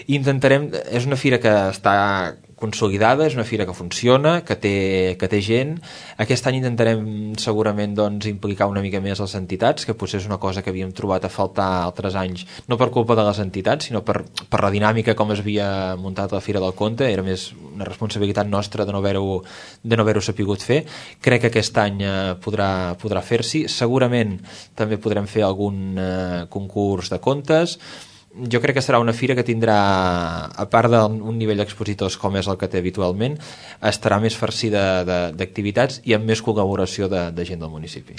I intentarem, és una fira que està consolidada, és una fira que funciona, que té gent. Aquest any intentarem segurament doncs, implicar una mica més les entitats, que potser és una cosa que havíem trobat a faltar altres anys, no per culpa de les entitats, sinó per la dinàmica com es havia muntat la Fira del Conte. Era més una responsabilitat nostra de no haver-ho sapigut fer. Crec que aquest any podrà fer-s'hi. Segurament també podrem fer algun concurs de contes. Jo crec que serà una fira que tindrà, a part d'un nivell d'expositors com és el que té habitualment, estarà més farcida d'activitats i amb més col·laboració de gent del municipi.